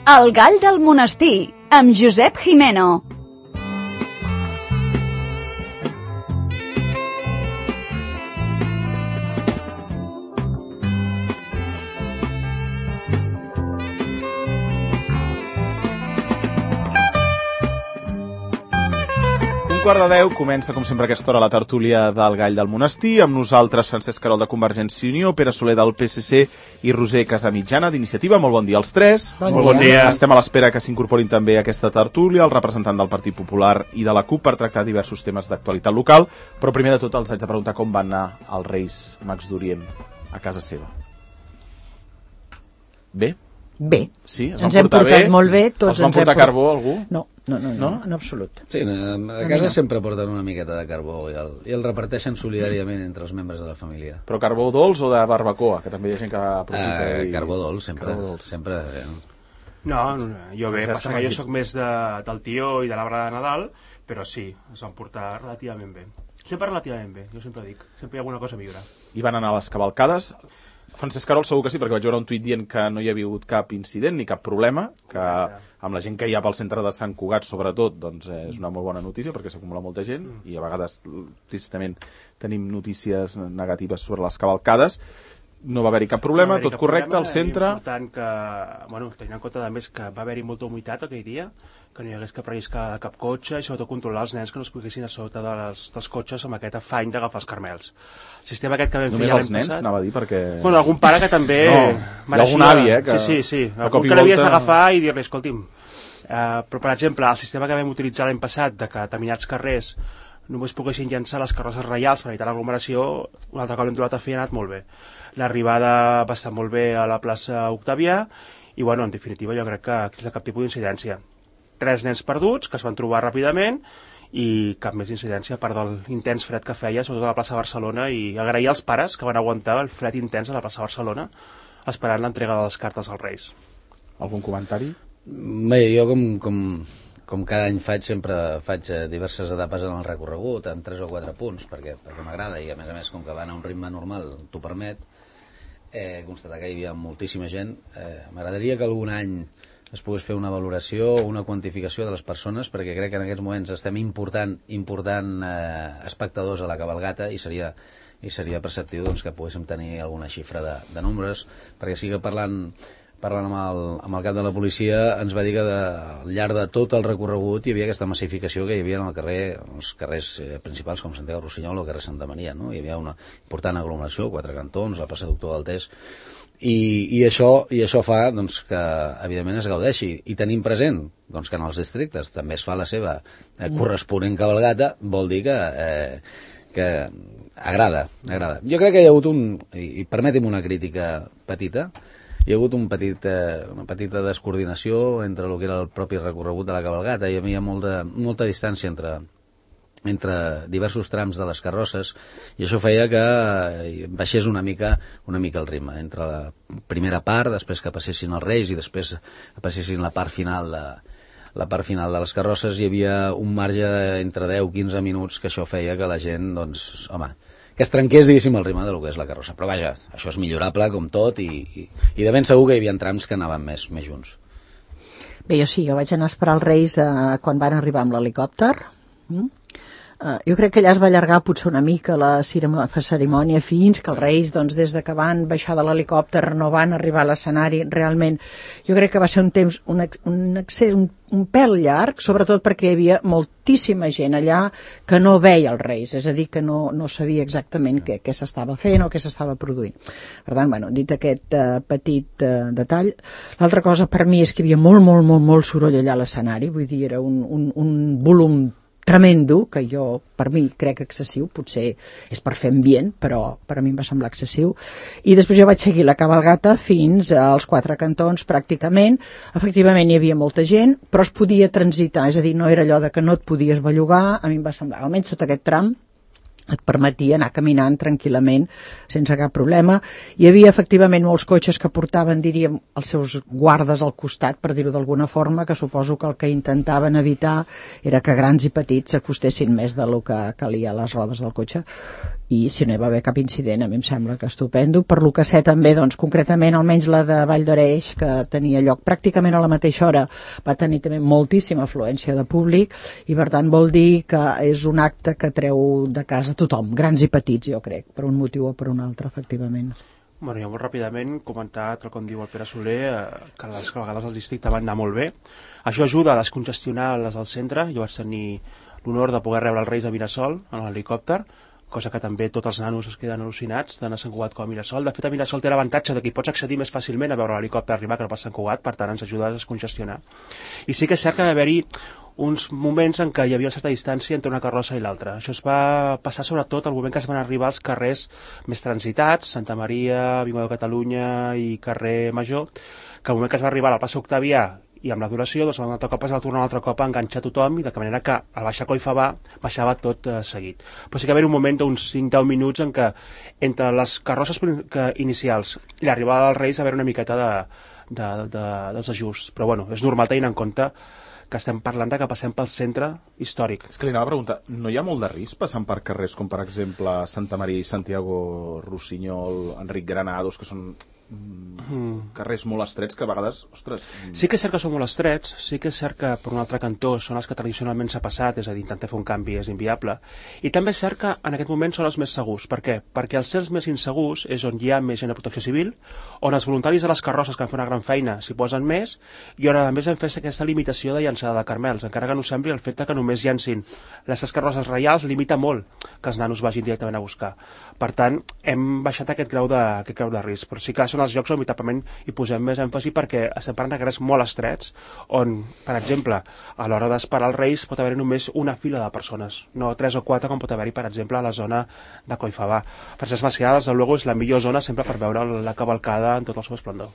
El gall del monestir, amb Josep Jimeno. Quart de 10, comença com sempre a aquesta hora la tertúlia del Gall del Monestir, amb nosaltres Francesc Querol de Convergència i Unió, Pere Soler del PSC i Roser Casamitjana d'Iniciativa. Molt bon dia als tres. Molt bon dia. Estem a l'espera que s'incorporin també a aquesta tertúlia el representant del Partit Popular i de la CUP per tractar diversos temes d'actualitat local, però primer de tot els haig de preguntar com van anar els Reis Mags d'Orient a casa seva. Bé? Bé. Sí? Ens hem portat molt bé. Els van portar carbó, algú? No, en absolut. Sí, a casa sempre porten una miqueta de carbó i el reparteixen solidàriament entre els membres de la família. Però carbó dolç o de barbacoa? Que també hi ha gent que aprofita. Carbó dolç, sempre. No, jo bé, passa que jo sóc més del tio i de l'arbre de Nadal, però sí, es van portar relativament bé. Sempre relativament bé, jo sempre dic. Sempre hi ha alguna cosa a millorar. I van anar a les cavalcades. Francesc Querol segur que sí, perquè vaig veure un tuit dient que no hi havia hagut cap incident ni cap problema, que amb la gent que hi ha pel centre de Sant Cugat, sobretot, doncs és una molt bona notícia, perquè s'acumula molta gent, i a vegades, tristament, tenim notícies negatives sobre les cavalcades. No va haver-hi cap problema, tot correcte, al centre. És important que, tenint en compte, a més, que va haver-hi molta humitat aquell dia, que no hi hagués cap risc a cap cotxe, i sobretot controlar els nens que no es poguessin a sota dels cotxes amb aquest afany d'agafar els carmels. El sistema aquest que vam fer només ja els nens, anava a dir, perquè... algun pare que també... hi ha algun avi, que... Sí. Algun que l'havies d'agafar i dir-li, escolti'm... Però, per exemple, el sistema que vam utilitzar l'any passat, de que a determinats carrers només poguessin llançar les carrosses reials per evitar l'aglomeració, un altre cop l'hem trobat a fer i ha anat molt bé. L'arribada va estar molt bé a la plaça Octavià i, en definitiva, jo crec que aquí no hi ha cap tipus d'incidència. 3 nens perduts que es van trobar ràpidament i cap més incidència a part de l'intens fred que feia, sobretot a la plaça Barcelona, i agrair als pares que van aguantar el fred intens a la plaça Barcelona esperant l'entrega de les cartes als Reis. Algun comentari? Bé, jo com cada any sempre faig diverses etapes en el recorregut, en 3 o 4 punts, perquè m'agrada i a més com que van a un ritme normal t'ho permet, constatar que hi havia moltíssima gent. M'agradaria que algun any es pogués fer una valoració o una quantificació de les persones, perquè crec que en aquests moments estem important espectadors a la cabalgata i seria perceptiu que poguéssim tenir alguna xifra de números, perquè sí que parlant amb el cap de la policia ens va dir que al llarg de tot el recorregut hi havia aquesta massificació que hi havia en els carrers principals com Santiago Rossinyol o carrer Santa Maria, no? Hi havia una important aglomeració, 4 cantons, la plaça Doctor Daltés, i això fa que evidentment es gaudeixi, i tenim present que en els districtes també es fa la seva corresponent cabalgata, vol dir que agrada. Jo crec que hi ha hagut i permeti'm una crítica petita, hi ha hagut una petita descoordinació entre el que era el propi recorregut de la cabalgata. Hi havia molta distància entre diversos trams de les carrosses i això feia que baixés una mica el ritme. Entre la primera part, després que passessin els Reis i després passessin la part final de les carrosses, hi havia un marge entre 10-15 minuts que això feia que la gent, que es trenqués, diguéssim, el ritme del que és la carrossa. Però vaja, això és millorable com tot i de ben segur que hi havia trams que anaven més junts. Bé, jo vaig anar a esperar els Reis quan van arribar amb l'helicòpter. Jo crec que allà es va allargar potser una mica la cerimònia fins que els Reis, des de que van baixar de l'helicòpter no van arribar a l'escenari. Realment, jo crec que va ser un temps, un pèl llarg, sobretot perquè hi havia moltíssima gent allà que no veia els Reis, és a dir, que no sabia exactament què s'estava fent o què s'estava produint. Per tant, dit aquest petit detall, l'altra cosa per mi és que hi havia molt soroll allà a l'escenari, vull dir, era un volum tremendo, que jo, per mi, crec excessiu, potser és per fer ambient, però per a mi em va semblar excessiu, i després jo vaig seguir la cabalgata fins als 4 cantons, pràcticament. Efectivament hi havia molta gent, però es podia transitar, és a dir, no era allò de que no et podies bellugar. A mi em va semblar, almenys sota aquest tram, et permetia anar caminant tranquil·lament, sense cap problema. Hi havia efectivament molts cotxes que portaven, diríem, els seus guardes al costat, per dir-ho d'alguna forma, que suposo que el que intentaven evitar era que grans i petits s'acostessin més del que calia a les rodes del cotxe. i si no hi va haver cap incident, a mi em sembla que estupendo. Per lo que sé també, doncs, concretament, almenys la de Vall d'Oreix, que tenia lloc pràcticament a la mateixa hora, va tenir també moltíssima afluència de públic, i per tant vol dir que és un acte que treu de casa tothom, grans i petits, jo crec, per un motiu o per un altre, efectivament. Bueno, ja molt ràpidament comentar, tal com diu el Pere Soler, que a vegades el districte va anar molt bé. Això ajuda a descongestionar les del centre. Jo vaig tenir l'honor de poder rebre els Reis a Mirasol en l'helicòpter, cosa que també tots els nanos es queden al·lucinats tant a Sant Cugat com a Mirasol. De fet, a Mirasol té l'avantatge de que hi pots accedir més fàcilment a veure l'helicòpter arribar que no per Sant Cugat, per tant ens ajuda a descongestionar. I sí que és cert que va haver-hi uns moments en què hi havia una certa distància entre una carrossa i l'altra. Això es va passar sobretot al moment que es van arribar als carrers més transitats, Santa Maria, Avinguda de Catalunya i carrer Major, que al moment que es va arribar al plaça Octavià i amb la duració, doncs un altre cop es va tornar un altre cop a enganxar tothom, i de manera que al baixar Coll Favar baixava tot seguit. Però sí que va haver un moment d'uns 5-10 minuts en què entre les carrosses inicials i l'arribada dels Reis va haver una miqueta dels ajusts. Però bueno, és normal tenint en compte que estem parlant de que passem pel centre històric. És que li anava a preguntar, no hi ha molt de risc passant per carrers com per exemple Santa Maria i Santiago Rossinyol, Enric Granados, que són carrers molt estrets que a vegades, ostres... Sí que és cert que són molt estrets, sí que és cert que per un altre cantó són els que tradicionalment s'ha passat, és a dir, intentar fer un canvi és inviable, i també és cert que en aquest moment són els més segurs. Per què? Perquè els certs més insegurs és on hi ha més gent de protecció civil, on els voluntaris de les carrosses que han fet una gran feina s'hi posen més, i on a més hem fet aquesta limitació de llançada de carmels, encara que no sembli el fet que només llancin les carrosses reials limita molt que els nanos vagin directament a buscar. Per tant, hem baixat aquest grau de risc, però sí que són els llocs on veritablement hi posem més èmfasi, perquè estem parlant de carrers molt estrets, on, per exemple, a l'hora d'esperar els Reis pot haver-hi només una fila de persones, no 3 o 4 com pot haver-hi, per exemple, a la zona de Coll Favar. Francesc Macià, des de luego, és la millor zona sempre per veure la cavalcada en tot el seu esplendor.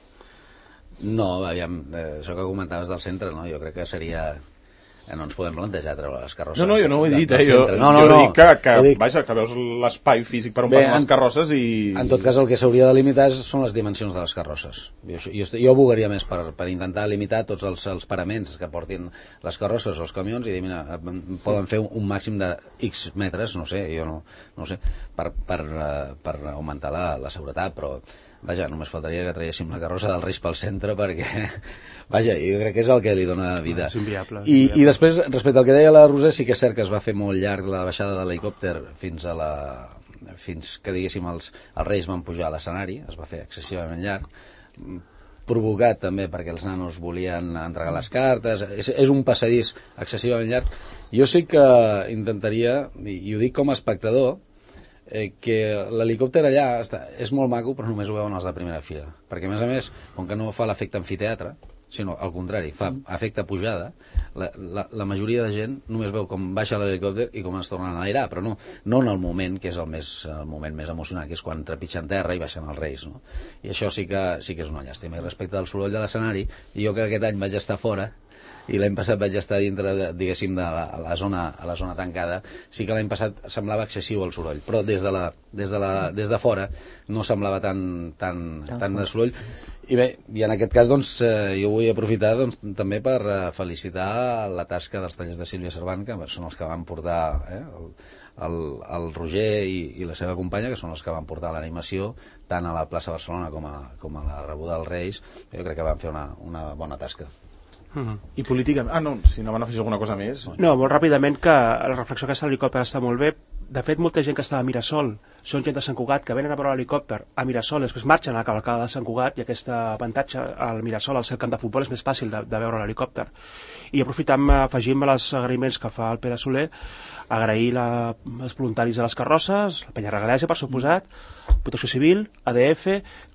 No, aviam, això que comentaves del centre, no? Jo crec que seria... No ens podem plantejar treure les carrosses. No, jo no ho he dit, jo dic que, vaja, que veus l'espai físic per on passen les carrosses i... En tot cas, el que s'hauria de limitar són les dimensions de les carrosses. Jo abogaria més per intentar limitar tots els paraments que portin les carrosses o els camions i dir, mira, poden fer un màxim de X metres, no sé, jo no sé, per augmentar la seguretat, però vaja, només faltaria que traguéssim la carrossa del Reis pel centre perquè, vaja, jo crec que és el que li dona vida. És inviable. I després, respecte al que deia la Roser, sí que és cert que es va fer molt llarg la baixada de l'helicòpter fins que, diguéssim, els Reis van pujar a l'escenari, es va fer excessivament llarg, provocat també perquè els nanos volien entregar les cartes, és un passadís excessivament llarg. Jo sí que intentaria, i ho dic com a espectador, que l'helicòpter allà és molt maco, però només ho veuen els de primera fila, perquè a més, com que no fa l'efecte amfiteatre, sinó al contrari, fa efecte pujada, la majoria de gent només veu com baixa l'helicòpter i com es tornen a airar, però no en el moment que és el moment més emocionant, que és quan trepitgen terra i baixen els Reis, no? I això sí que és una llàstima. I respecte al soroll de l'escenari, jo que aquest any vaig estar fora i l'any passat vaig estar dintre, diguéssim, de la zona tancada, sí que l'any passat semblava excessiu el soroll, però des de fora no semblava tan de soroll. I bé, i en aquest cas, doncs, jo vull aprofitar també per felicitar la tasca dels tallers de Sílvia Servant, que són els que van portar el Roger i la seva companya, que són els que van portar l'animació tant a la plaça Barcelona com a la rebuda dels Reis. Jo crec que van fer una bona tasca. I políticament... no, si no van afegir alguna cosa més... No, molt ràpidament, que la reflexió que l'helicòpter està molt bé. De fet, molta gent que estava a Mirasol són gent de Sant Cugat que venen a veure l'helicòpter a Mirasol, després marxen a la cavalcada de Sant Cugat, i aquest avantatge al Mirasol, al seu camp de futbol, és més fàcil de veure l'helicòpter. I aprofitant, afegim els agraïments que fa el Pere Soler, agrair els voluntaris de les carrosses, la Penya Regalèsia, per suposat, Protecció Civil, ADF,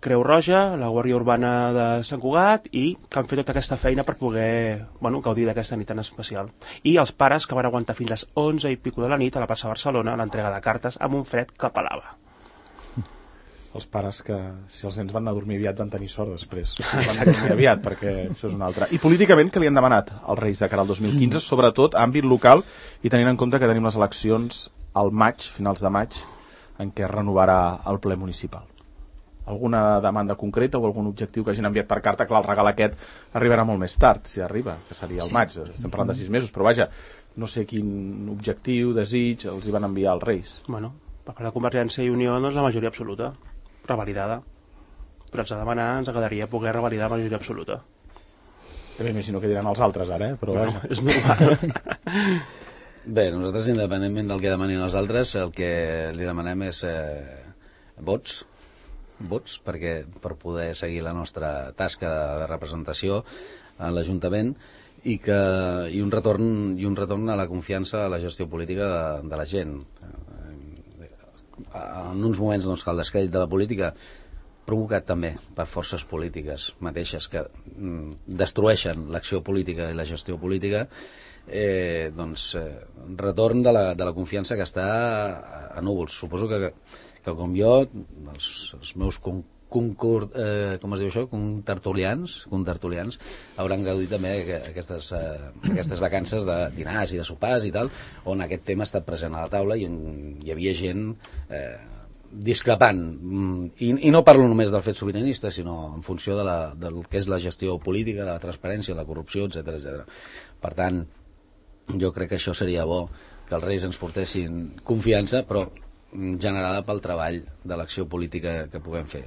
Creu Roja, la Guàrdia Urbana de Sant Cugat, i que han fet tota aquesta feina per poder gaudir d'aquesta nit tan especial. I els pares que van aguantar fins a les 11 i pico de la nit a la plaça Barcelona l'entrega de cartes amb un fred que pelava. Els pares que, si els nens van anar a dormir aviat, van tenir sort després. Van anar a dormir aviat, perquè això és una altra. I políticament, què li han demanat als Reis de cara al 2015, sobretot a àmbit local, i tenint en compte que tenim les eleccions al maig, finals de maig, en què es renovarà el ple municipal? Alguna demanda concreta o algun objectiu que hagin enviat per carta? Clar, el regal aquest arribarà molt més tard, si arriba, que seria el maig. Estem parlant de 6 mesos, però vaja, no sé quin objectiu, desig els hi van enviar als Reis. Bueno, Per part de Convergència i Unió, doncs, la majoria absoluta, revalidada. Però ens agradaria poder revalidar la majoria absoluta. També m'imagino que diran els altres ara, però bueno, és normal. Bé, nosaltres, independentment del que demanin els altres, el que li demanem és vots, per poder seguir la nostra tasca de representació a l'Ajuntament i un retorn a la confiança a la gestió política de la gent. En uns moments doncs, que el descrèdit de la política, provocat també per forces polítiques mateixes que destrueixen l'acció política i la gestió política, retorn de la confiança que està a núvols. Suposo que com jo, els meus contertulians hauran gaudit també aquestes vacances de dinars i de sopars i tal, on aquest tema ha estat present a la taula i on hi havia gent discrepant, i no parlo només del fet sobiranista, sinó en funció del que és la gestió política, de la transparència, de la corrupció, etc. Per tant, jo crec que això seria bo, que els Reis ens portessin confiança, però generada pel treball de l'acció política que puguem fer.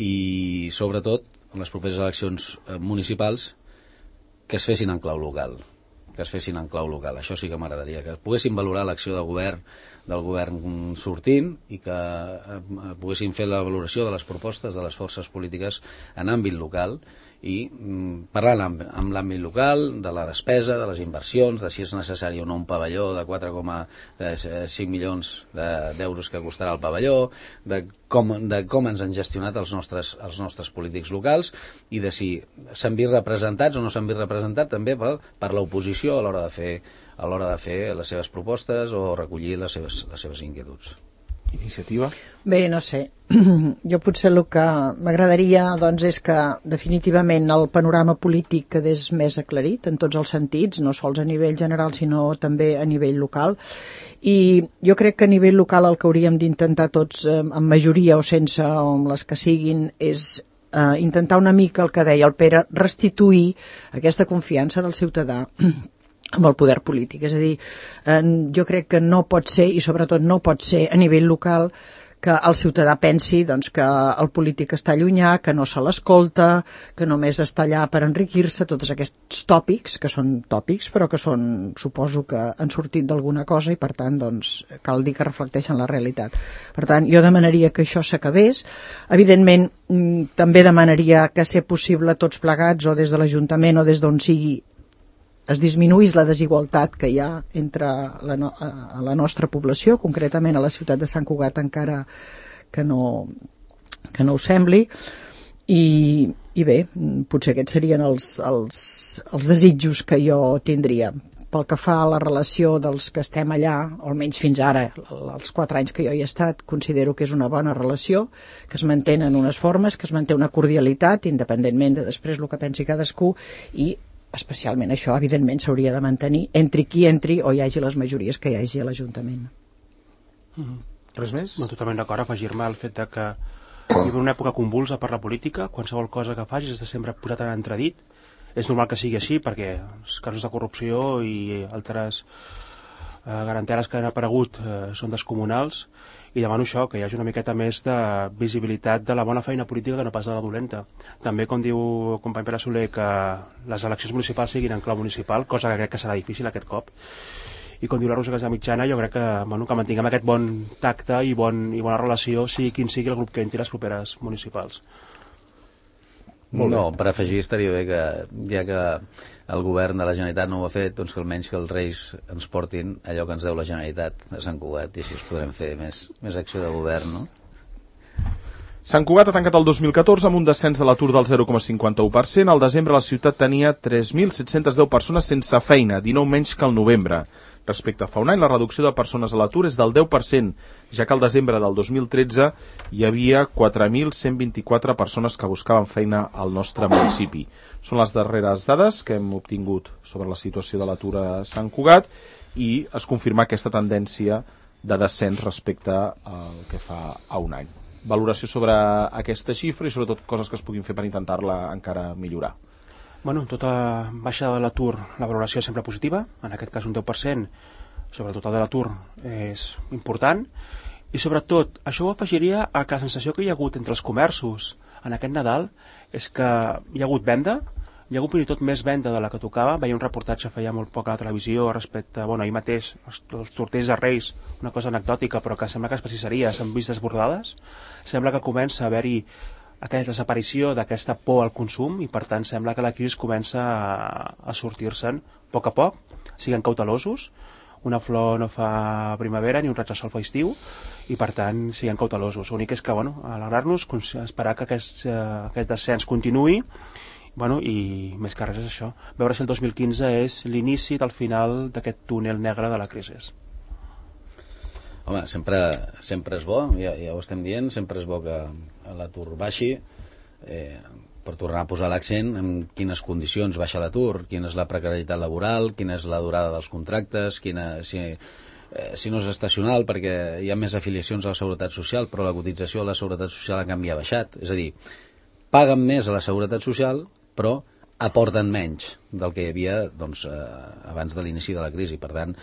I sobretot en les properes eleccions municipals que es fessin en clau local, això sí que m'agradaria, que poguessin valorar l'acció del govern sortint i que poguessin fer la valoració de les propostes de les forces polítiques en àmbit local i parlar amb l'àmbit local de la despesa, de les inversions, de si és necessari o no un pavelló de 4,5 milions d'euros que costarà el pavelló, de com ens han gestionat els nostres polítics locals i de si s'han vist representats o no s'han vist representats també per l'oposició a l'hora de fer les seves propostes o recollir les seves inquietuds. Iniciativa? Bé, no sé. Jo potser el que m'agradaria doncs, és que definitivament el panorama polític quedés més aclarit en tots els sentits, no sols a nivell general sinó també a nivell local, i jo crec que a nivell local el que hauríem d'intentar tots, amb majoria o sense, o amb les que siguin, és intentar una mica el que deia el Pere, restituir aquesta confiança del ciutadà amb el poder polític. És a dir, jo crec que no pot ser, i sobretot no pot ser a nivell local, que el ciutadà pensi doncs, que el polític està llunyà, que no se l'escolta, que només està allà per enriquir-se, tots aquests tòpics, que són tòpics, però que són, suposo que han sortit d'alguna cosa i per tant doncs, cal dir que reflecteixen la realitat. Per tant, jo demanaria que això s'acabés. Evidentment, també demanaria que, ser possible, tots plegats, o des de l'Ajuntament o des d'on sigui, es disminuís la desigualtat que hi ha entre la nostra població, concretament a la ciutat de Sant Cugat, encara que no ho sembli, i bé, potser aquests serien els desitjos que jo tindria. Pel que fa a la relació dels que estem allà, o almenys fins ara, els 4 anys que jo hi he estat, considero que és una bona relació, que es mantenen unes formes, que es manté una cordialitat, independentment de després el que pensi cadascú, i especialment això, evidentment, s'hauria de mantenir entri qui entri o hi hagi les majories que hi hagi a l'Ajuntament. Res més? No, totalment d'acord, afegir-me al fet de que hi ha una època convulsa per la política, qualsevol cosa que facis és de sempre posat en entredit. És normal que sigui així perquè els casos de corrupció i altres garanteres que han aparegut són descomunals, i demano això, que hi hagi una miqueta més de visibilitat de la bona feina política que no pas de la dolenta. També, com diu el company Pere Soler, que les eleccions municipals siguin en clau municipal, cosa que crec que serà difícil aquest cop, i com diu la Rosa Casamitjana, jo crec que mantinguem aquest bon tacte i bona relació, sigui quin sigui el grup que entri les properes municipals. No, per afegir estaria bé que, ja que el govern de la Generalitat no ho ha fet, doncs que almenys que els Reis ens portin allò que ens deu la Generalitat a Sant Cugat, i així es podrem fer més acció de govern, no? Sant Cugat ha tancat el 2014 amb un descens de l'atur del 0,51%. Al desembre la ciutat tenia 3.710 persones sense feina, 19 menys que al novembre. Respecte a fa un any, la reducció de persones a l'atur és del 10%, ja que al desembre del 2013 hi havia 4.124 persones que buscaven feina al nostre municipi. Són les darreres dades que hem obtingut sobre la situació de l'atur a Sant Cugat i es confirma aquesta tendència de descens respecte al que fa a un any. Valoració sobre aquesta xifra i sobretot coses que es puguin fer per intentar-la encara millorar. Bueno, tota baixada de l'atur, la valoració és sempre positiva, en aquest cas un 10%, sobretot el de l'atur és important, I sobretot, això ho afegiria a que la sensació que hi ha hagut entre els comerços en aquest Nadal és que hi ha hagut venda, hi ha hagut fins i tot més venda de la que tocava. Veia un reportatge feia molt poc a la televisió respecte, ahir mateix, els tortells de Reis, una cosa anecdòtica, però que sembla que les pastisseries s'han vist desbordades. Sembla que comença a haver-hi aquesta desaparició d'aquesta por al consum i, per tant, sembla que la crisi comença a sortir-se'n a poc, siguin cautelosos. Una flor no fa primavera ni un raig de sol fa estiu i, per tant, siguin cautelosos. L'únic és que, alegrar-nos, esperar que aquest descens continuï, i més que res és això, veure si el 2015 és l'inici del final d'aquest túnel negre de la crisi. Home, sempre és bo, ja ho estem dient, sempre és bo que l'atur baixi, per tornar a posar l'accent en quines condicions baixa l'atur, quina és la precarietat laboral, quina és la durada dels contractes, si no és estacional, perquè hi ha més afiliacions a la Seguretat Social, però la cotització a la Seguretat Social a canvi ha baixat. És a dir, paguen més a la Seguretat Social, però aporten menys del que hi havia abans de l'inici de la crisi. Per tant,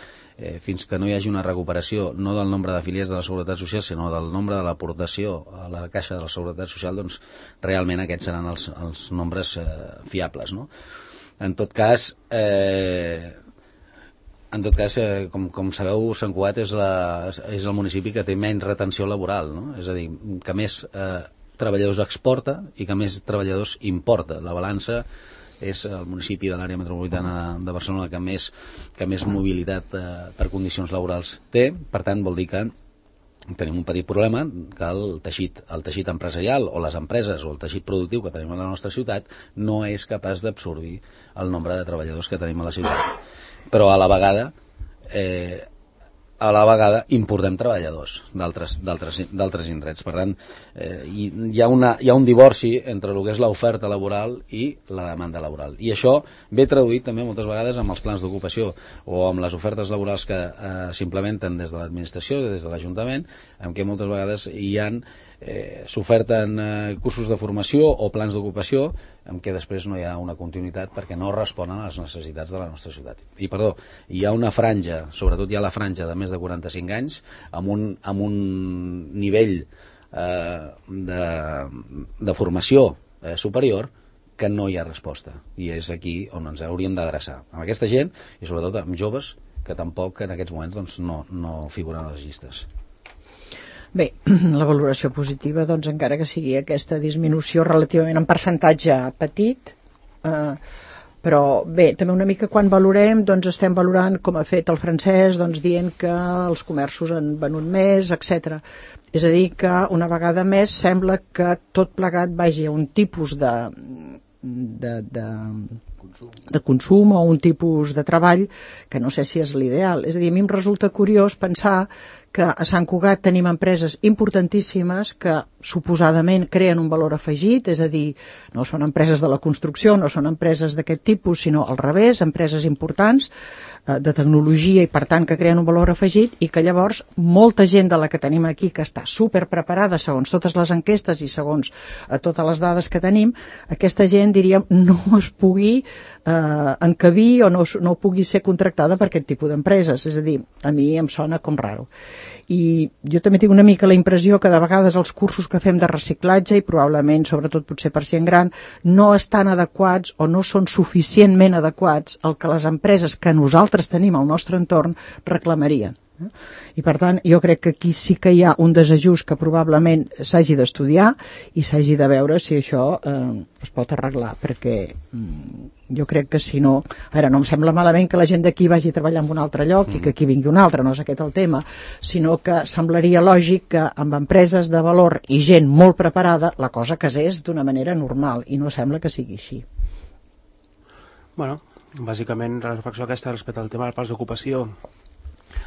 fins que no hi hagi una recuperació no del nombre d'afiliats de la Seguretat Social, sinó del nombre de l'aportació a la caixa de la Seguretat Social, doncs realment aquests seran els nombres fiables, no? En tot cas, com sabeu, Sant Cugat és el municipi que té menys retenció laboral, no? És a dir, que més treballadors exporta i que més treballadors importa. La balança és el municipi de l'àrea metropolitana de Barcelona que més mobilitat per condicions laborals té. Per tant, vol dir que tenim un petit problema, que el teixit empresarial o les empreses o el teixit productiu que tenim a la nostra ciutat no és capaç d'absorbir el nombre de treballadors que tenim a la ciutat. Però a la importem treballadors d'altres indrets. Per tant, hi ha un divorci entre el que és l'oferta laboral i la demanda laboral. I això ve traduït també moltes vegades amb els plans d'ocupació o amb les ofertes laborals que s'implementen des de l'administració, des de l'Ajuntament, en què moltes vegades s'oferten cursos de formació o plans d'ocupació en què després no hi ha una continuïtat perquè no responen a les necessitats de la nostra ciutat. I hi ha una franja, sobretot hi ha la franja de més de 45 anys amb un nivell de formació superior que no hi ha resposta, i és aquí on ens hauríem d'adreçar, amb aquesta gent i sobretot amb joves que tampoc en aquests moments no figuren a les llistes. Bé, la valoració positiva, encara que sigui aquesta disminució relativament en percentatge petit, però bé, també una mica quan valorem, estem valorant, com ha fet el Francesc, dient que els comerços han venut més, etc. És a dir, que una vegada més sembla que tot plegat vagi a un tipus de consum o un tipus de treball que no sé si és l'ideal. És a dir, a mi em resulta curiós pensar que a Sant Cugat tenim empreses importantíssimes que suposadament creen un valor afegit, és a dir, no són empreses de la construcció, no són empreses d'aquest tipus, sinó al revés, empreses importants de tecnologia i per tant que creen un valor afegit, i que llavors molta gent de la que tenim aquí que està superpreparada segons totes les enquestes i segons totes les dades que tenim, aquesta gent, diríem, no es pugui encabir o no pugui ser contractada per aquest tipus d'empreses. És a dir, a mi em sona com raro. I jo també tinc una mica la impressió que de vegades els cursos que fem de reciclatge, i probablement, sobretot potser per gent gran, no estan adequats o no són suficientment adequats al que les empreses que nosaltres tenim al nostre entorn reclamarien. I per tant, jo crec que aquí sí que hi ha un desajust que probablement s'hagi d'estudiar i s'hagi de veure si això es pot arreglar, perquè jo crec que si no... Ara, no em sembla malament que la gent d'aquí vagi a treballar en un altre lloc i que aquí vingui un altre, no és aquest el tema, sinó que semblaria lògic que amb empreses de valor i gent molt preparada la cosa casés d'una manera normal, i no sembla que sigui així. Bueno, bàsicament la reflexió aquesta respecte al tema dels plans d'ocupació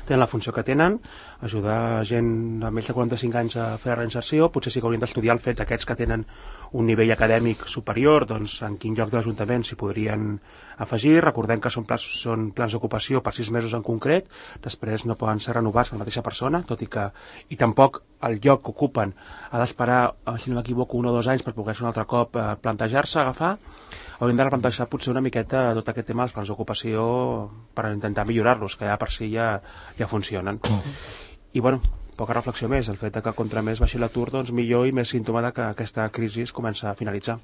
tenen la funció que tenen, ajudar gent de més de 45 anys a fer la reinserció. Potser sí que haurien d'estudiar el fet d'aquests que tenen un nivell acadèmic superior, en quin lloc de l'Ajuntament s'hi podrien afegir. Recordem que són plans d'ocupació per 6 mesos en concret, després no poden ser renovats per la mateixa persona, tot i tampoc el lloc que ocupen ha d'esperar, si no m'equivoco, 1 o 2 anys per poder un altre cop plantejar-se, agafar. Hauríem de replantejar potser una miqueta tot aquest tema dels plans d'ocupació per intentar millorar-los, que ja per si ja funcionen. I bueno, poca reflexió més. El fet que contra més baixi l'atur, doncs millor i més símptoma que aquesta crisi comença a finalitzar.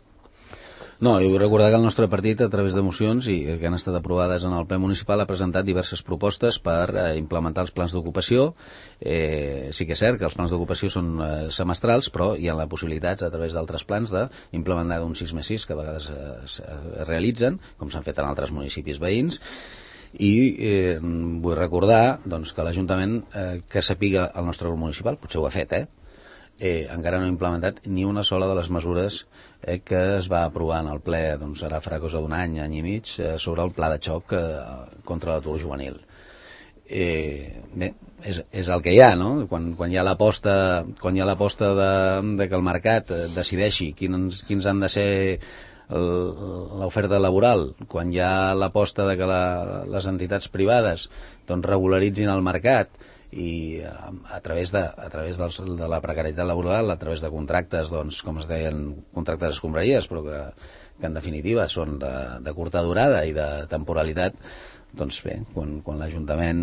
No, jo vull recordar que el nostre partit, a través de mocions i que han estat aprovades en el ple municipal, ha presentat diverses propostes per implementar els plans d'ocupació. Sí que és cert que els plans d'ocupació són semestrals, però hi ha la possibilitat, a través d'altres plans, d'implementar d'un 6+6, que a vegades es realitzen, com s'han fet en altres municipis veïns. I vull recordar doncs, que l'Ajuntament, que sapiga el nostre grup municipal, potser ho ha fet, encara no ha implementat ni una sola de les mesures que es va aprovar en el ple, doncs ara farà cosa d'un any i mig, sobre el pla de xoc contra l'atur juvenil. Bé, és el que hi ha, no? Quan hi ha l'aposta de que el mercat decideixi quins han de ser l'oferta laboral, quan hi ha l'aposta de que les entitats privades doncs regularitzin el mercat i a través de la precarietat laboral, a través de contractes, doncs, com es deien, contractes d'escombraries, però que en definitiva són de curta durada i de temporalitat, doncs bé, quan l'Ajuntament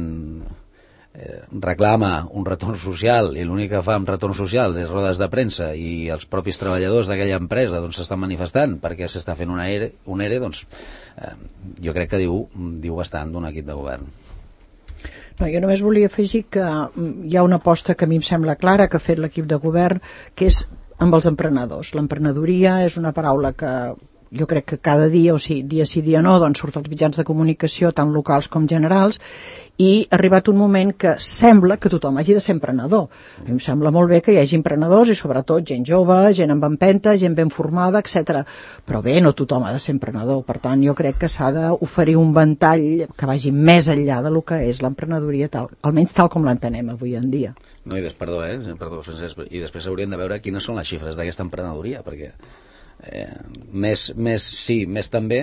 reclama un retorn social i l'únic que fa amb retorn social és rodes de premsa i els propis treballadors d'aquella empresa doncs s'estan manifestant perquè s'està fent un ERE, doncs jo crec que diu bastant d'un equip de govern. No, jo només volia afegir que hi ha una aposta que a mi em sembla clara que ha fet l'equip de govern, que és amb els emprenedors. L'emprenedoria és una paraula que jo crec que cada dia, o sigui, dia sí, dia no, doncs surt als mitjans de comunicació, tant locals com generals, i ha arribat un moment que sembla que tothom hagi de ser emprenedor. A mi em sembla molt bé que hi hagi emprenedors i sobretot gent jove, gent amb empenta, gent ben formada, etc. Però bé, no tothom ha de ser emprenedor. Per tant, jo crec que s'ha d'oferir un ventall que vagi més enllà del que és l'emprenedoria, almenys tal com l'entenem avui en dia. No, perdó, Francesc, i després hauríem de veure quines són les xifres d'aquesta emprenedoria, perquè més també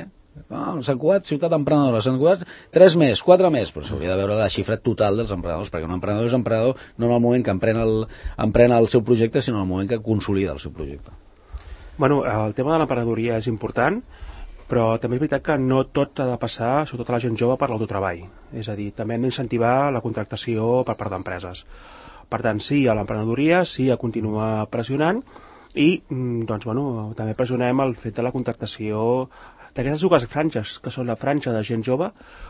Sant Cugat, ciutat emprenedora, Sant Cugat 3 més, 4 més, però s'hauria de veure la xifra total dels emprenedors, perquè un emprenedor és emprenedor no en el moment que emprena el seu projecte, sinó en el moment que consolida el seu projecte. Bueno, el tema de l'emprenedoria és important, però també és veritat que no tot ha de passar, sobretot a la gent jove, per l'autotreball. És a dir, també hem d'incentivar la contractació per part d'empreses. Per tant, sí a l'emprenedoria, sí a continuar pressionant, i doncs, bueno, també pressionem el fet de la contractació d'aquestes dues franges, que són la franja de gent jove,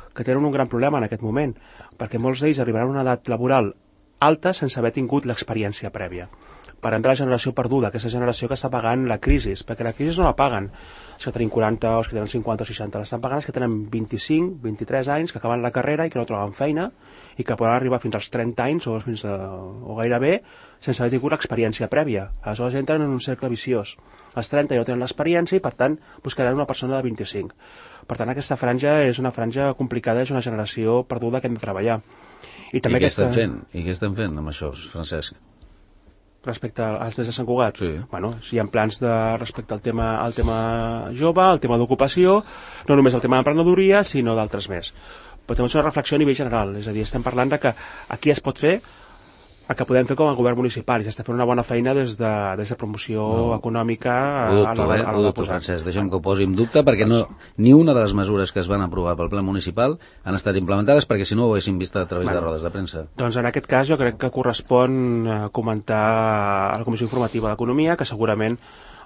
que tenen un gran problema en aquest moment, perquè molts d'ells arribaran a una edat laboral alta sense haver tingut l'experiència prèvia. Per entrar a la generació perduda, aquesta generació que està pagant la crisi, perquè la crisi no la paguen els que tenim 40 o els que tenen 50 o 60, l'estan pagant els que tenen 25, 23 anys, que acaben la carrera i que no troben feina i que poden arribar fins als 30 anys o gairebé sense haver tingut l'experiència prèvia. Aleshores entren en un cercle viciós. Els 30 ja no tenen l'experiència i per tant buscaran una persona de 25. Per tant aquesta franja és una franja complicada, és una generació perduda que hem de treballar. I també què estem fent amb això, Francesc? Respecte als des de Sant Cugat? Sí. Bueno, si hi ha plans respecte al tema jove, al tema d'ocupació, no només el tema d'emprenedoria, sinó d'altres més. Però també és una reflexió a nivell general, és a dir, estem parlant de que aquí es pot fer el que podem fer com a govern municipal, i s'està fent una bona feina des de promoció econòmica a la Francesc, deixa'm que ho posi en dubte, perquè ni una de les mesures que es van aprovar pel ple municipal han estat implementades, perquè si no ho haguéssim vist a través de rodes de premsa. Doncs en aquest cas jo crec que correspon comentar a la Comissió Informativa d'Economia, que segurament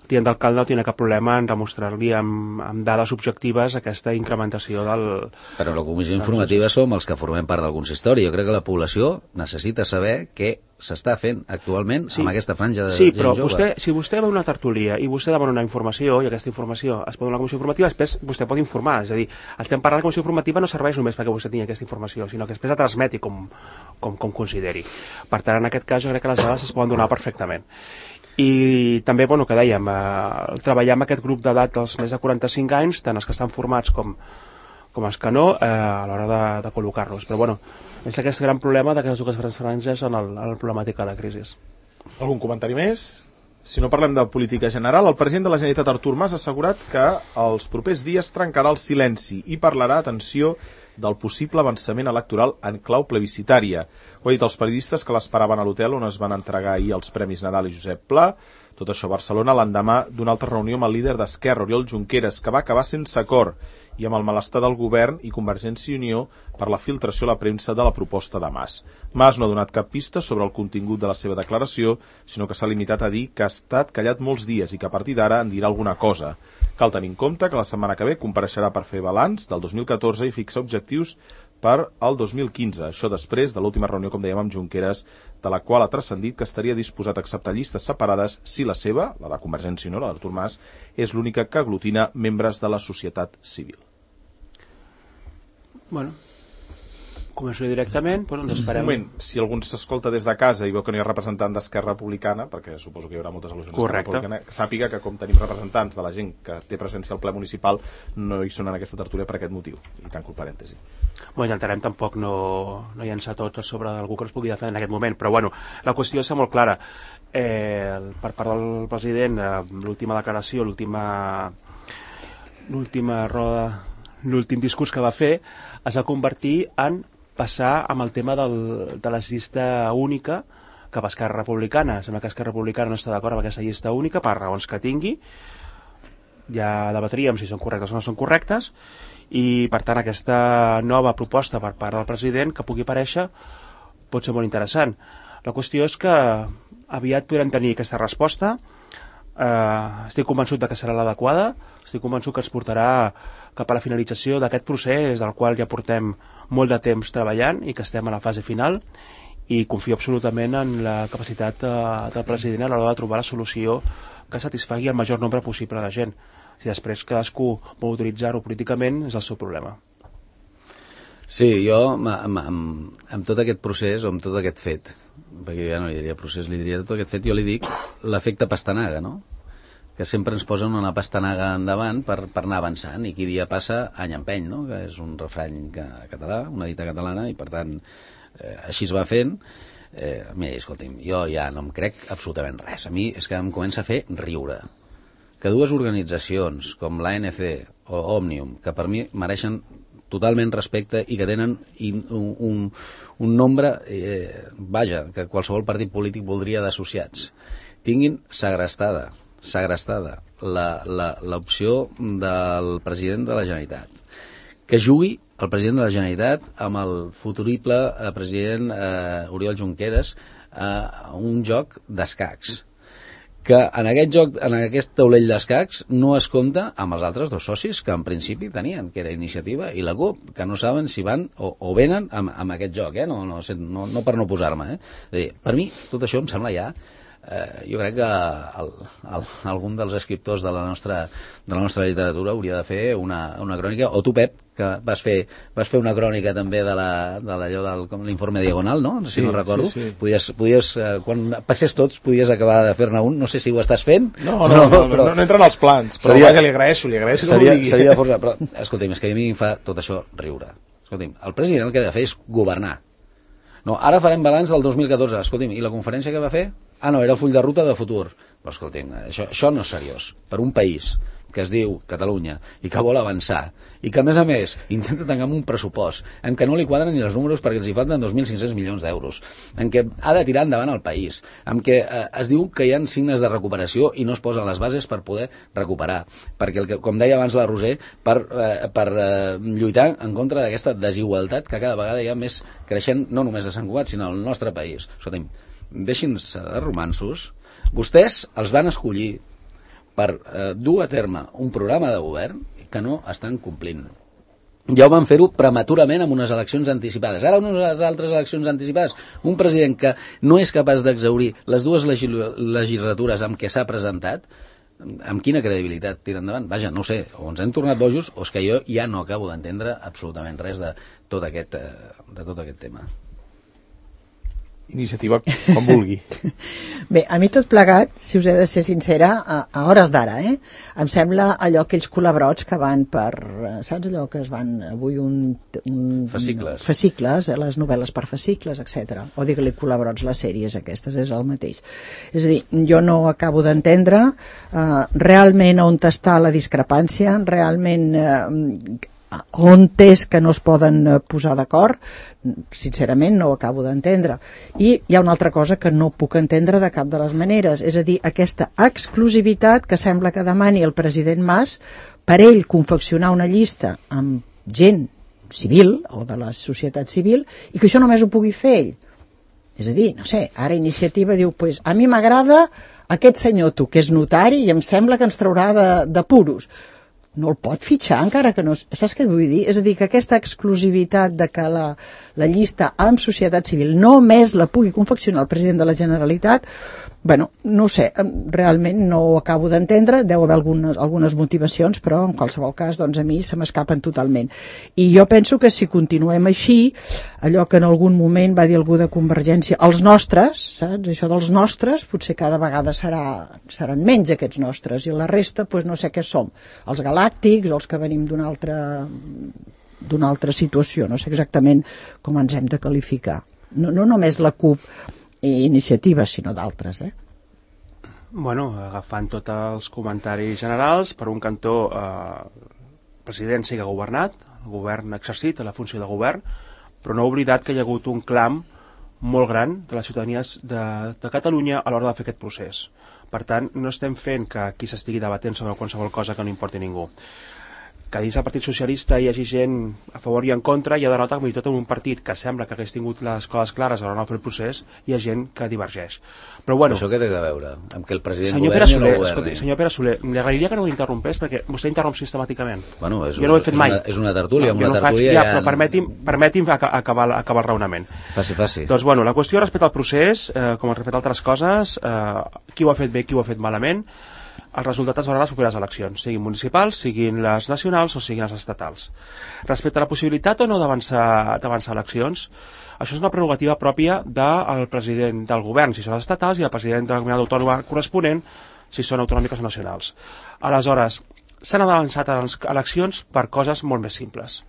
el tinent d'alcalde no tindrà cap problema en demostrar-li amb dades objectives aquesta incrementació del... Però la Comissió Informativa som els que formem part del consistori. Jo crec que la població necessita saber què s'està fent actualment amb aquesta franja de gent jove. Sí, però si vostè va a una tertúlia i vostè demana una informació i aquesta informació es pot donar a la Comissió Informativa, després vostè pot informar. És a dir, estem parlant de la Comissió Informativa no serveix només perquè vostè tingui aquesta informació, sinó que després la transmeti com consideri. Per tant, en aquest cas jo crec que les dades es poden donar perfectament. I també, bueno, que dèiem, treballar amb aquest grup d'edat dels més de 45 anys, tant els que estan formats com els que no, a l'hora de col·locar-los. Però, bueno, és aquest gran problema d'aquestes dues grans franges en la problemàtica de la crisi. Algun comentari més? Si no parlem de política general, el president de la Generalitat, Artur Mas, ha assegurat que els propers dies trencarà el silenci i parlarà, atenció, del possible avançament electoral en clau plebiscitària. Ho ha dit als periodistes que l'esperaven a l'hotel on es van entregar ahir els Premis Nadal i Josep Pla. Tot això a Barcelona l'endemà d'una altra reunió amb el líder d'Esquerra, Oriol Junqueras, que va acabar sense acord i amb el malestar del govern i Convergència i Unió per la filtració a la premsa de la proposta de Mas. Mas no ha donat cap pista sobre el contingut de la seva declaració, sinó que s'ha limitat a dir que ha estat callat molts dies i que a partir d'ara en dirà alguna cosa. Cal tenir en compte que la setmana que ve compareixerà per fer balanç del 2014 i fixar objectius per al 2015. Això després de l'última reunió, com dèiem, amb Junqueras, de la qual ha transcendit que estaria disposat a acceptar llistes separades si la seva, la de Convergència i Unió, la d'Artur Mas, és l'única que aglutina membres de la societat civil. Bueno, començo directament, però ens esperem. Un moment, si algú s'escolta des de casa i veu que no hi ha representant d'Esquerra Republicana, perquè suposo que hi haurà moltes al·lusions d'Esquerra Republicana, que sàpiga que com tenim representants de la gent que té presència al ple municipal, no hi són en aquesta tertúlia per aquest motiu. I tanco el parèntesi. Bueno, intentarem tampoc no llançar tots a sobre d'algú que ens pugui defendre en aquest moment, però bueno, la qüestió és molt clara. Per part del president, l'última declaració, l'últim discurs que va fer es va convertir en passar amb el tema de la llista única cap a Esquerra Republicana. Sembla que Esquerra Republicana no està d'acord amb aquesta llista única per raons que tingui. Ja debatríem si són correctes o no són correctes, i per tant aquesta nova proposta per part del president que pugui aparèixer pot ser molt interessant. La qüestió és que aviat podrem tenir aquesta resposta. Estic convençut que serà l'adequada, estic convençut que ens portarà cap a la finalització d'aquest procés del qual ja portem molt de temps treballant i que estem a la fase final, i confio absolutament en la capacitat del president a l'hora de trobar la solució que satisfagui el major nombre possible de gent. Si després cadascú vol utilitzar-ho políticament, és el seu problema. Sí, jo amb tot aquest procés o amb tot aquest fet, perquè ja no li diria procés, li diria tot aquest fet, jo li dic l'efecte pastanaga, no? Que sempre ens posen una pastanaga endavant per anar avançant, i qui dia passa any empeny, no? Que és un refrany català, una dita catalana, i per tant així es va fent. Mira, escolti'm, jo ja no em crec absolutament res. A mi és que em comença a fer riure que dues organitzacions com l'ANC o Òmnium, que per mi mereixen totalment respecte i que tenen un nombre, que qualsevol partit polític voldria d'associats, tinguin segrestada l'opció del president de la Generalitat, que jugui el president de la Generalitat amb el futurible president Oriol Junqueras a un joc d'escacs, que en aquest joc, en aquest taulell d'escacs, no es compta amb els altres dos socis que en principi tenien, que era Iniciativa i la CUP, que no saben si van o venen amb aquest joc, no per no posar-me. És a dir, per mi tot això em sembla ja... jo crec que algun dels escriptors de la nostra literatura hauria de fer una crònica, o tu, Pep, que vas fer una crònica també de l'allò de l'informe Diagonal, no? Si no recordo. Sí. Podies, quan passés tots, podies acabar de fer-ne un. No sé si ho estàs fent. No entren als plans, però vaja, li agraeixo seria força, però escolti'm, és que a mi em fa tot això riure. Escolti'm, el president el que ha de fer és governar. No, ara farem balanç del 2014. Escolti'm, i la conferència que va fer? No, era el full de ruta de futur. Però escolti'm, això no és seriós. Per un país que es diu Catalunya i que vol avançar, i que a més intenta tancar amb un pressupost en què no li quadren ni els números perquè els hi falten 2.500 milions d'euros, en què ha de tirar endavant el país, en què es diu que hi ha signes de recuperació i no es posen les bases per poder recuperar, perquè, com deia abans la Roser, per lluitar en contra d'aquesta desigualtat que cada vegada hi ha més creixent, no només a Sant Cugat, sinó al nostre país. Escolta'm, deixin-se de romanços. Vostès els van escollir per dur a terme un programa de govern que no estan complint. Ja ho van fer-ho prematurament amb unes eleccions anticipades. Ara unes altres eleccions anticipades. Un president que no és capaç d'exhaurir les dues legislatures amb què s'ha presentat, amb quina credibilitat tira endavant? Vaja, no sé, o ens hem tornat bojos o és que jo ja no acabo d'entendre absolutament res de tot aquest tema. Iniciativa, com vulgui. Bé, a mi tot plegat, si us he de ser sincera, a hores d'ara, em sembla allò aquells culebrots que van per... Saps allò que es van avui fascicles. Fascicles, les novel·les per fascicles, etc. O digue-li culebrots, les sèries aquestes, és el mateix. És a dir, jo no acabo d'entendre realment on està la discrepància, realment on és que no es poden posar d'acord, sincerament no ho acabo d'entendre. I hi ha una altra cosa que no puc entendre de cap de les maneres, és a dir, aquesta exclusivitat que sembla que demani el president Mas per ell confeccionar una llista amb gent civil o de la societat civil i que això només ho pugui fer ell. És a dir, no sé, ara Iniciativa diu, pues, a mi m'agrada aquest senyor tu, que és notari i em sembla que ens traurà de puros. No el pot fitxar encara que no... Saps què vull dir? És a dir, que aquesta exclusivitat de que la llista amb societat civil només la pugui confeccionar el president de la Generalitat, bueno, no ho sé, realment no ho acabo d'entendre, deu haver algunes motivacions, però en qualsevol cas, doncs a mi se m'escapen totalment. I jo penso que si continuem així, allò que en algun moment va dir algú de Convergència, els nostres, saps? Això dels nostres, potser cada vegada seran menys aquests nostres, i la resta, doncs no sé què som, els galàctics, els que venim d'una altra situació, no sé exactament com ens hem de qualificar. No només la CUP i Iniciativa, sinó d'altres, Bueno, agafant tots els comentaris generals, per un cantó, el president sí que ha governat, el govern ha exercit la funció de govern, però no ha oblidat que hi ha hagut un clam molt gran de les ciutadanies de Catalunya a l'hora de fer aquest procés. Per tant, no estem fent que aquí s'estigui debatent sobre qualsevol cosa que no importi a ningú. Que dins del Partit Socialista hi hagi gent a favor i en contra, i ha denota que fins i tot en un partit que sembla que hagués tingut les coses clares a l'hora de fer el procés, hi ha gent que divergeix. Però bueno, això què té a veure? Amb que el president senyor governi Pere o no governi? Escolti, senyor Pere Soler, li agrairia que no m'interrompés perquè vostè interromp sistemàticament. Bueno, jo no ho he fet mai. És una tertúlia, no, una tertúlia ja, però permeti'm acabar el raonament. Faci. Doncs bueno, la qüestió respecte al procés, com respecte a altres coses, qui ho ha fet bé, qui ho ha fet malament, el resultat es veurà a les properes eleccions, siguin municipals, siguin les nacionals o siguin les estatals. Respecte a la possibilitat o no d'avançar eleccions, això és una prerrogativa pròpia del president del govern, si són les estatals, i el president de la comunitat autònoma corresponent, si són autonòmiques o nacionals. Aleshores, s'han avançat a les eleccions per coses molt més simples.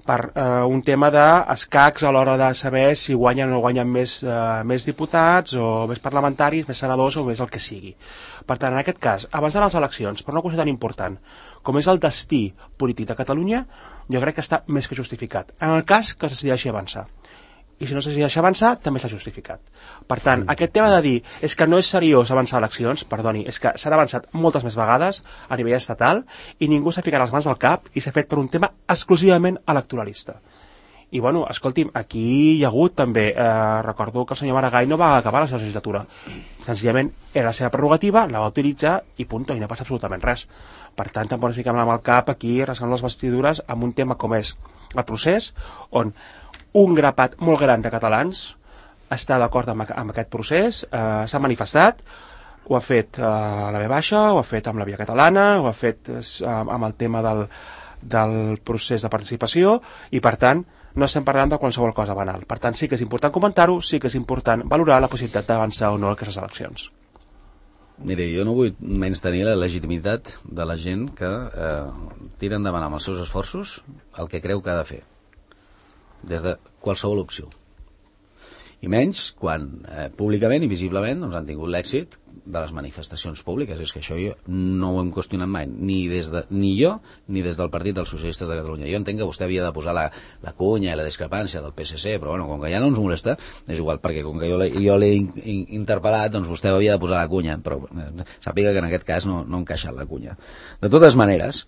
Per un tema d'escacs a l'hora de saber si guanyen o no guanyen més diputats o més parlamentaris, més senadors o més el que sigui. Per tant, en aquest cas, avançar les eleccions per una qüestió tan important com és el destí polític de Catalunya, jo crec que està més que justificat. En el cas que es decideixi avançar. I si no es decideix avançar, també s'ha justificat. Per tant, aquest tema de dir és que no és seriós avançar eleccions, perdoni, és que s'han avançat moltes més vegades a nivell estatal i ningú s'ha ficat les mans al cap i s'ha fet per un tema exclusivament electoralista. I bueno, escolti'm, aquí hi ha hagut també, recordo que el senyor Maragall no va acabar la seva legislatura, senzillament era la seva prerrogativa, la va utilitzar i punto, i no passa absolutament res. Per tant, tampoc ens fiquem amb el cap aquí rascant les vestidures amb un tema com és el procés, on un grapat molt gran de catalans està d'acord amb aquest procés, s'ha manifestat, ho ha fet a la V+, ho ha fet amb la Via Catalana, ho ha fet amb el tema del procés de participació, i per tant no estem parlant de qualsevol cosa banal. Per tant, sí que és important comentar-ho, sí que és important valorar la possibilitat d'avançar o no aquestes eleccions. Mire, jo no vull menystenir la legitimitat de la gent que tira endavant amb els seus esforços el que creu que ha de fer, des de qualsevol opció. I menys quan públicament i visiblement doncs, han tingut l'èxit de les manifestacions públiques. És que això jo no ho hem qüestionat mai, ni jo ni des del Partit dels Socialistes de Catalunya. Jo entenc que vostè havia de posar la cunya i la discrepància del PSC, però bueno, com que ja no ens molesta, és igual, perquè com que jo l'he interpel·lat, doncs vostè havia de posar la cunya, però sàpiga que en aquest cas no ha encaixat la cunya. De totes maneres,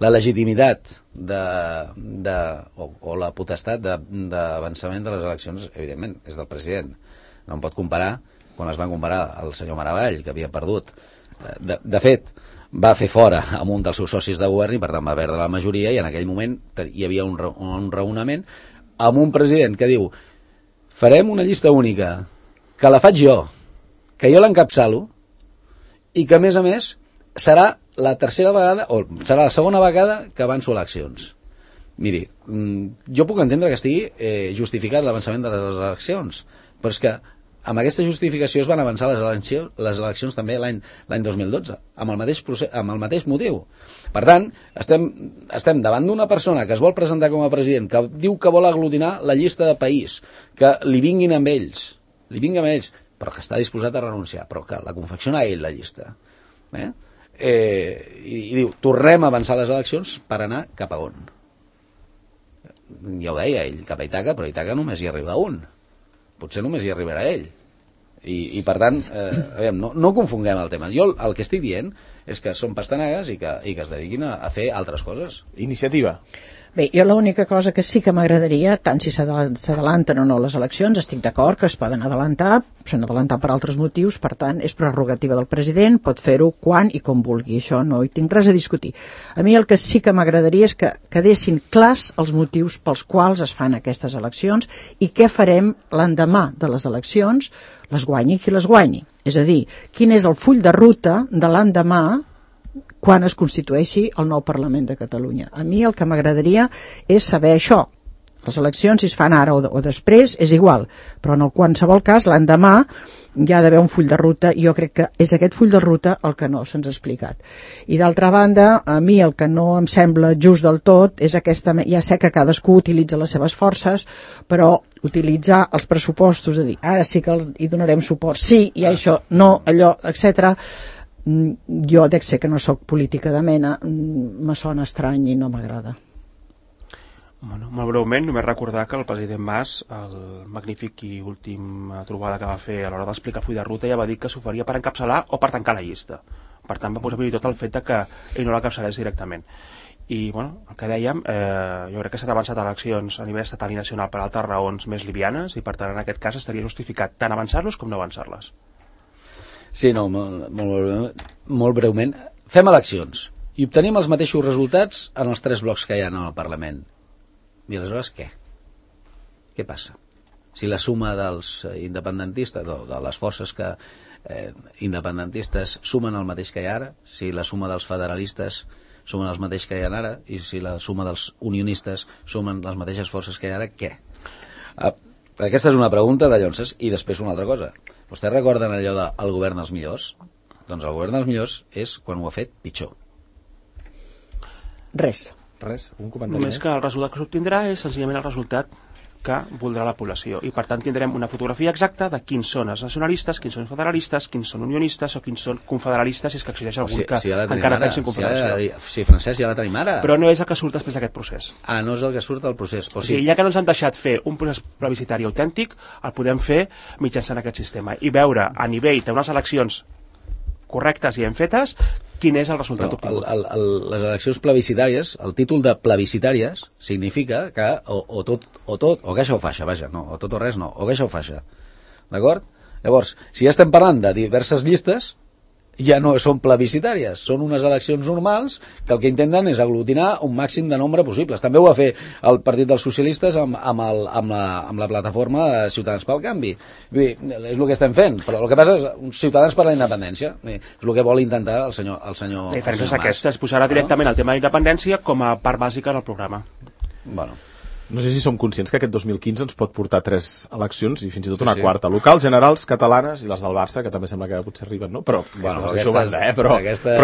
la legitimitat o la potestat d'avançament de les eleccions, evidentment, és del president. No em pot comparar quan es van comparar el senyor Maragall, que havia perdut. De fet, va fer fora amb un dels seus socis de govern i per tant va perdre la majoria, i en aquell moment hi havia un raonament amb un president que diu: farem una llista única, que la faig jo, que jo l'encapçalo i que a més serà la tercera vegada o serà la segona vegada que avanço eleccions. Miri, jo puc entendre que estigui justificat l'avançament de les eleccions, però és que amb aquesta justificació es van avançar les eleccions també l'any 2012, amb el mateix motiu. Per tant, estem davant d'una persona que es vol presentar com a president, que diu que vol aglutinar la llista de país, que li vinguin amb ells, però que està disposat a renunciar, però que la confecciona ell, la llista. i diu, tornem a avançar les eleccions per anar cap a on? Ja ho deia ell, cap a Ítaca, però a Ítaca només hi arriba un. Potser només hi arribarà ell. I per tant, aviam, no confonguem el tema. Jo el que estic dient és que són pastanagues i que es dediquin a fer altres coses. Iniciativa. Bé, jo l'única cosa que sí que m'agradaria, tant si s'adalanten o no les eleccions, estic d'acord que es poden adelantar, s'han d'adelantar per altres motius, per tant, és prerrogativa del president, pot fer-ho quan i com vulgui, això no hi tinc res a discutir. A mi el que sí que m'agradaria és que quedessin clars els motius pels quals es fan aquestes eleccions i què farem l'endemà de les eleccions, les guanyi qui les guanyi. És a dir, quin és el full de ruta de l'endemà quan es constitueixi el nou Parlament de Catalunya. A mi el que m'agradaria és saber això. Les eleccions, si es fan ara o després, és igual, però en qualsevol cas, l'endemà hi ha d'haver un full de ruta i jo crec que és aquest full de ruta el que no se'ns ha explicat. I d'altra banda, a mi el que no em sembla just del tot és aquesta... Ja sé que cadascú utilitza les seves forces, però utilitzar els pressupostos, de dir, ara sí que hi donarem suport, sí, i això, no, allò, etc. Jo dec ser que no sóc política de mena, me sona estrany i no m'agrada. Bueno, molt breument, només recordar que el president Mas, el magnífic i última trobada que va fer a l'hora d'explicar full de ruta, ja va dir que s'oferia per encapçalar o per tancar la llista. Per tant, va posar fins i tot el fet que ell no l'encapçalés directament. I, bueno, el que dèiem, jo crec que s'han avançat eleccions a nivell estatal i nacional per altres raons més livianes i, per tant, en aquest cas estaria justificat tant avançar-los com no avançar-les. Sí, no, molt breument. Fem eleccions i obtenim els mateixos resultats en els 3 blocs que hi ha en el Parlament. I aleshores què? Què passa? Si la suma dels independentistes, de les forces que independentistes sumen el mateix que hi ha ara, si la suma dels federalistes sumen els mateix que hi ha ara, i si la suma dels unionistes sumen les mateixes forces que hi ha ara, què? Aquesta és una pregunta de Llonses. I després una altra cosa. Vostès recorden allò de el govern dels millors? Doncs el govern dels millors és quan ho ha fet pitjor. Res, un comentari Només que el resultat que s'obtindrà és senzillament el resultat que voldrà la població. I per tant tindrem una fotografia exacta de quins són els nacionalistes, quins són federalistes, quins són unionistes o quins són confederalistes, si és que existeix algun que encara pensi en confederació. Sí, Francesc, ja la tenim ara. Però no és el que surt després d'aquest procés. No és el que surt del procés. O sigui, ja que no ens han deixat fer un procés plebiscitari autèntic, el podem fer mitjançant aquest sistema i veure a nivell d'unes eleccions correctes i ben fetes quin és el resultat obtingut. Les eleccions plebiscitàries, el títol de plebiscitàries significa que o tot o que això ho faixa, vaja, no, o tot o res no, o que això ho faixa, d'acord? Llavors, si ja estem parlant de diverses llistes, ja no són plebiscitàries, són unes eleccions normals que el que intenten és aglutinar un màxim de nombre possibles. També ho va fer el Partit dels Socialistes amb la plataforma de Ciutadans pel Canvi. És el que estem fent, però el que passa és Ciutadans per la Independència. És el que vol intentar el senyor La diferència és aquesta, es posarà directament el tema de la independència com a part bàsica del programa. Bueno. No sé si som conscients que aquest 2015 ens pot portar 3 eleccions i fins i tot una quarta. Locals, generals, catalanes i les del Barça, que també sembla que potser arriben, no? Però, bueno, però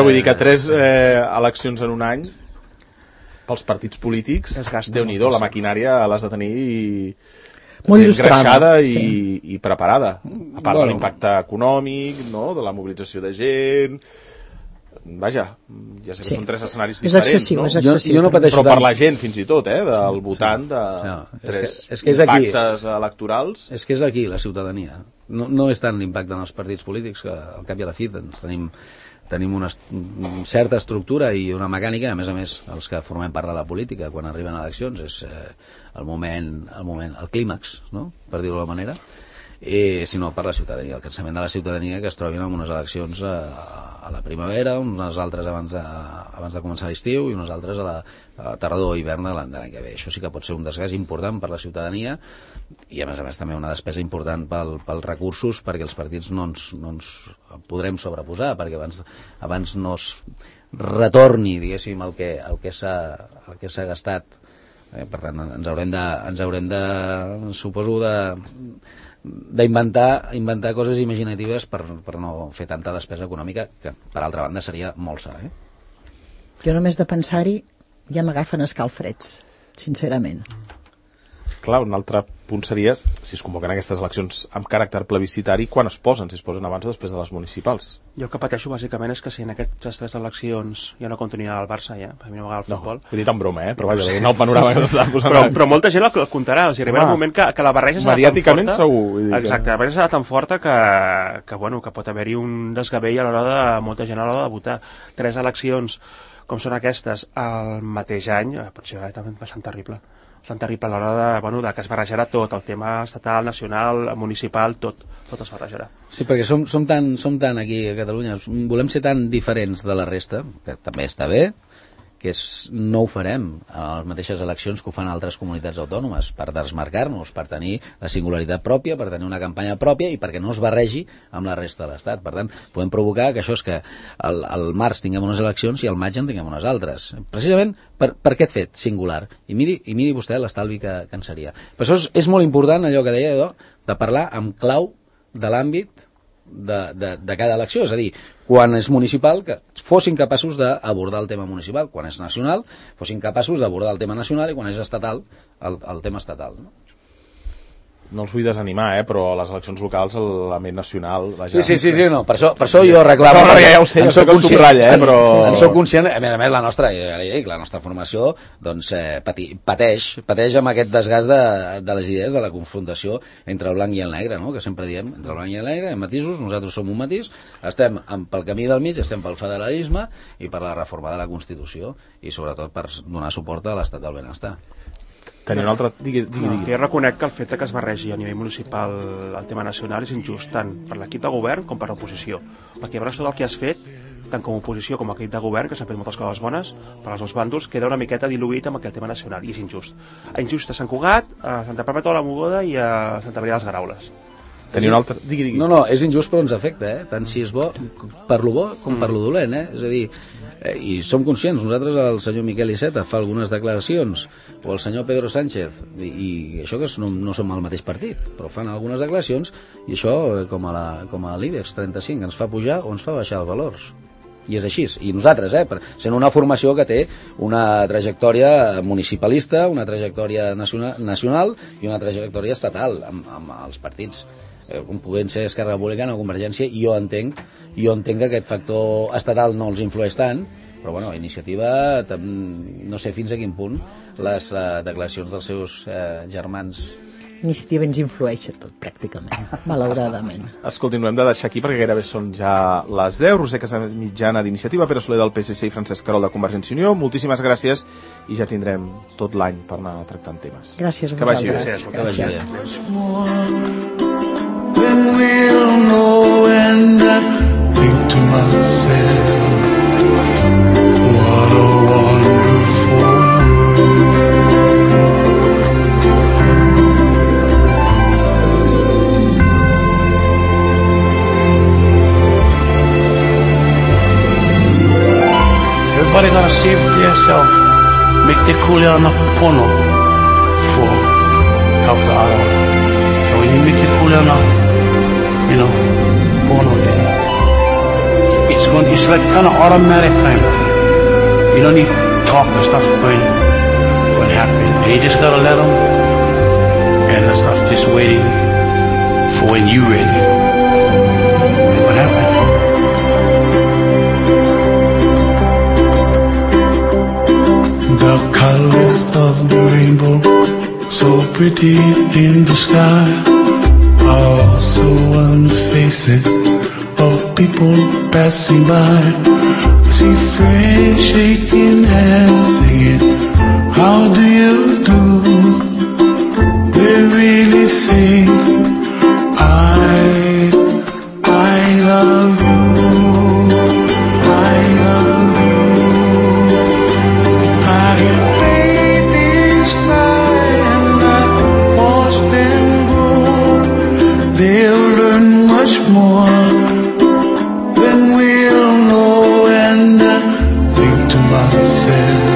vull dir que 3 eleccions en un any pels partits polítics, Déu-n'hi-do, la maquinària l'has de tenir molt engreixada i preparada. A part de l'impacte econòmic, no? De la mobilització de gent... Vaja, ja sé que són 3 escenaris diferents, excessiu, no? És excessiu, però per la gent fins i tot, del votant de 3 impactes electorals. És que és aquí la ciutadania. No és tant l'impacte en els partits polítics, que al cap i a la fi tenim una certa estructura i una mecànica, a més, els que formem part de la política quan arriben eleccions, és el clímax, no? Per dir-ho d'alguna manera, sinó per la ciutadania, el cansament de la ciutadania que es trobin en unes eleccions a la primavera, unes altres abans de començar l'estiu i unes altres a la tardor o hivern de l'any que ve. Això sí que pot ser un desgast important per la ciutadania i a més també una despesa important pels recursos, perquè els partits no ens podrem sobreposar, perquè abans no es retorni, diguéssim, el que s'ha gastat. Per tant, ens haurem de suposo d'inventar coses imaginatives per no fer tanta despesa econòmica, que per altra banda seria molt sa. Jo només de pensar-hi ja m'agafen escalfreds, sincerament. Clar, un altre punt seria si es convoquen aquestes eleccions amb caràcter plebiscitari, quan es posen? Si es posen abans o després de les municipals? Jo el que pateixo bàsicament és que si en aquestes 3 eleccions ja no continuï el Barça, ja, a mi no m'agrada el futbol. Vull dir tan broma, però vaja, no el panorama que s'està posant. Però molta gent el comptarà, o sigui, arribarà un moment que la barreja serà tan forta... Mediàticament segur. Exacte, la barreja serà tan forta que pot haver-hi un desgavell a l'hora de molta gent a l'hora de votar. 3 eleccions com són aquestes al mateix any, pot ser bastant terrible. Bastant terrible a l'hora de que es barrejarà tot, el tema estatal, nacional, municipal, tot es barrejarà. Sí, perquè som tan aquí a Catalunya, volem ser tan diferents de la resta, que també està bé, que no ho farem a les mateixes eleccions que ho fan altres comunitats autònomes, per desmarcar-nos, per tenir la singularitat pròpia, per tenir una campanya pròpia i perquè no es barregi amb la resta de l'Estat. Per tant, podem provocar que això és que al març tinguem unes eleccions i al maig en tinguem unes altres. Precisament per aquest fet singular. I miri vostè l'estalvi que en seria. Per això és molt important allò que deia de parlar amb clau de l'àmbit de cada elecció, és a dir, quan és municipal, que fossin capaços d'abordar el tema municipal, quan és nacional, fossin capaços d'abordar el tema nacional i quan és estatal, el tema estatal, no? No els vull desanimar, però a les eleccions locals l'element nacional... Sí, no, per això jo reclamo... No, ja ho sé, jo sé que ho subratlla, però... En soc conscient, a més la nostra formació doncs, pateix amb aquest desgast de les idees, de la confrontació entre el blanc i el negre, no? Que sempre diem, entre el blanc i el negre, hi ha matisos, nosaltres som un matís, estem pel camí del mig, estem pel federalisme i per la reforma de la Constitució i sobretot per donar suport a l'estat del benestar. Tenia un altre... Digui. Jo reconec que el fet que es barregi a nivell municipal el tema nacional és injust, tant per l'equip de govern com per l'oposició. Perquè llavors tot el que has fet, tant com a oposició com a equip de govern, que s'han fet moltes coses bones, per als dos bàndols, queda una miqueta diluït amb aquest tema nacional, i és injust. Injust a Sant Cugat, a Santa Perpètua de la Mogoda i a Santa Maria de les Garaules. Tenia un altre... Digui. No, és injust però ens afecta, tant si és bo per lo bo com per lo dolent, És a dir, i som conscients, nosaltres el senyor Miquel Iceta fa algunes declaracions, o el senyor Pedro Sánchez, i això que no som al mateix partit, però fan algunes declaracions, i això, com a l'IBEX 35, ens fa pujar o ens fa baixar els valors. I és així, i nosaltres, sent una formació que té una trajectòria municipalista, una trajectòria nacional i una trajectòria estatal amb els partits com puguen ser Esquerra Republicana o Convergència, i jo entenc que aquest factor estatal no els influeix tant, però bueno, Iniciativa no sé fins a quin punt les declaracions dels seus germans. Iniciativa ens influeix a tot, pràcticament, malauradament. Escolti, ho hem de deixar aquí perquè gairebé són ja les 10. Roser Casamitjana d'Iniciativa, Pere Soler del PSC i Francesc Querol de Convergència i Unió. Moltíssimes gràcies i ja tindrem tot l'any per anar tractant temes. Gràcies a vosaltres. Que vagi bé. Then we'll know, and I think to myself, what a wonderful world. Everybody gotta save it to yourself. Make the cooler on a pono for help the other one. And when you make the cooler on a pono there, it's like kind of automatic kind of, you don't need talk, the stuff's going to happen, and you just gotta let them, and the stuff's just waiting for when you're ready, and what happened? The colors of the rainbow, so pretty in the sky, also on the faces of people passing by. See friends shaking hands, singing, how do you do? They really sing, I love you, I love you. I hear babies cry and I watch them grow. They'll learn much more than we'll know, and I think to myself,